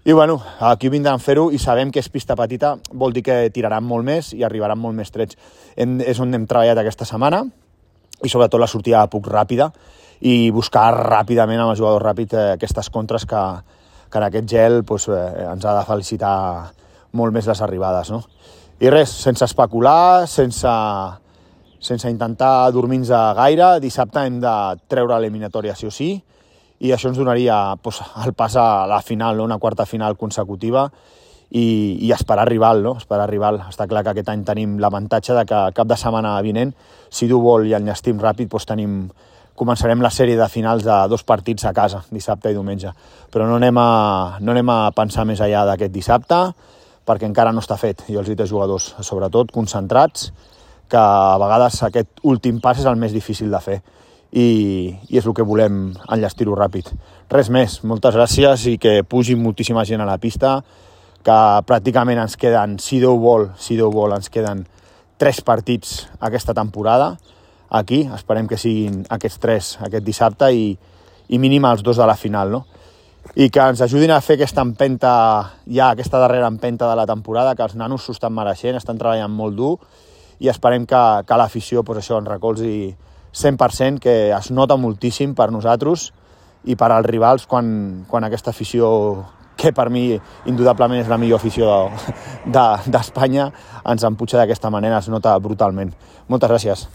I bueno, aquí vindran a fer-ho i sabem que és pista petita, vol dir que tiraran molt més i arribaran molt més trets. És on hem treballat aquesta setmana i sobretot la sortida de puc ràpida i buscar ràpidament amb el jugador ràpid aquestes contres que en aquest gel ens ha de felicitar molt més les arribades, no? I res, sense especular, sense intentar dormir-nos gaire, dissabte hem de treure l'eliminatòria sí o sí, i això ens donaria el pas a la final, no? Una quarta final consecutiva i esperar rival, no? Esperar rival. Està clar que aquest any tenim l'avantatge de que cap de setmana vinent, si Déu vol i enllestim ràpid, començarem la sèrie de finals de 2 partits a casa, dissabte i diumenge. Però no anem a pensar més enllà d'aquest dissabte, perquè encara no està fet. I els dic als jugadors, sobretot, concentrats, que a vegades aquest últim pas és el més difícil de fer. I és el que volem enllestir-ho ràpid. Res més, moltes gràcies i que pugi moltíssima gent a la pista, que pràcticament ens queden, si Déu vol, ens queden 3 partits aquesta temporada aquí, esperem que siguin aquests 3 aquest dissabte i mínim els 2 de la final, no? I que ens ajudin a fer aquesta empenta, ja aquesta darrera empenta de la temporada, que els nanos s'ho estan mereixent, estan treballant molt dur i esperem que l'afició ens recolzi 100%, que es nota moltíssim per nosaltres i per als rivals quan aquesta afició, que per mi indudablement és la millor afició d'Espanya, ens empuja d'aquesta manera, es nota brutalment. Moltes gràcies.